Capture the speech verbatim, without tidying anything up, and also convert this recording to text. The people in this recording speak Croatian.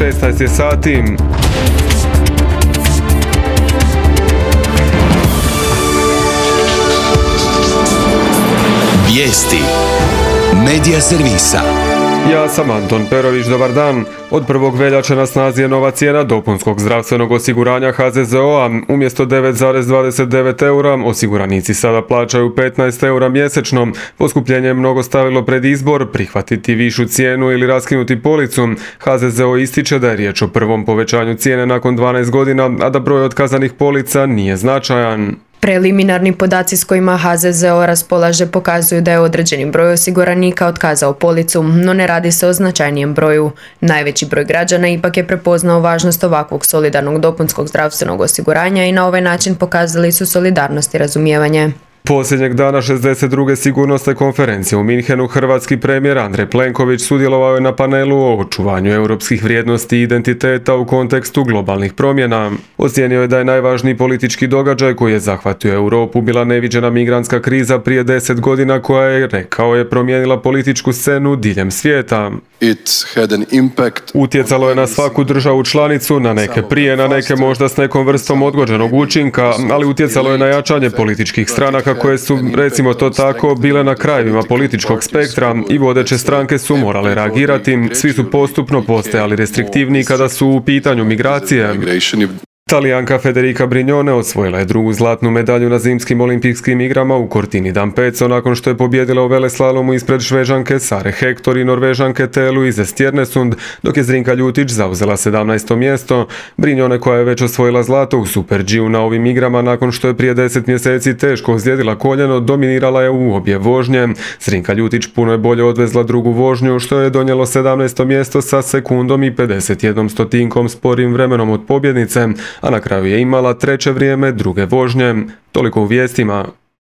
šesnaest je sati. Vijesti Medija servisa. Ja sam Anton Perović, dobar dan. Od prvog veljače na snazi je nova cijena dopunskog zdravstvenog osiguranja H Z Z O-a. Umjesto devet zarez dvadeset devet eura, osiguranici sada plaćaju petnaest eura mjesečno. Poskupljenje je mnogo stavilo pred izbor, prihvatiti višu cijenu ili raskinuti policu. H Z Z O ističe da je riječ o prvom povećanju cijene nakon dvanaest godina, a da broj otkazanih polica nije značajan. Preliminarni podaci s kojima H Z Z O raspolaže pokazuju da je određeni broj osiguranika otkazao policu, no ne radi se o značajnijem broju. Najveći broj građana ipak je prepoznao važnost ovakvog solidarnog dopunskog zdravstvenog osiguranja i na ovaj način pokazali su solidarnost i razumijevanje. Posljednjeg dana šezdeset druge sigurnosne konferencije u Minhenu hrvatski premijer Andrej Plenković sudjelovao je na panelu o očuvanju europskih vrijednosti i identiteta u kontekstu globalnih promjena. Ocijenio je da je najvažniji politički događaj koji je zahvatio Europu bila neviđena migrantska kriza prije deset godina koja je, rekao je, promijenila političku scenu diljem svijeta. Utjecalo je na svaku državu članicu, na neke prije, na neke možda s nekom vrstom odgođenog učinka, ali utjecalo je na jačanje političkih stranaka koje su, recimo to tako, bile na krajevima političkog spektra i vodeće stranke su morale reagirati. Svi su postupno postajali restriktivniji kada su u pitanju migracije. Talijanka Federica Brignone osvojila je drugu zlatnu medalju na zimskim olimpijskim igrama u Cortini d'Ampezzo nakon što je pobijedila u veleslalomu ispred Šveđanke Sare Hector i Norvežanke Luise Stjernesund, dok je Zrinka Ljutić zauzela sedamnaesto mjesto. Brignone, koja je već osvojila zlato u Super G-u na ovim igrama nakon što je prije deset mjeseci teško ozlijedila koljeno, dominirala je u obje vožnje. Zrinka Ljutić puno je bolje odvezla drugu vožnju, što je donijelo sedamnaesto mjesto sa sekundom i pedeset jednom stotinkom sporim vremenom od pobjednice, a na kraju je imala treće vrijeme druge vožnje. Toliko u vijestima.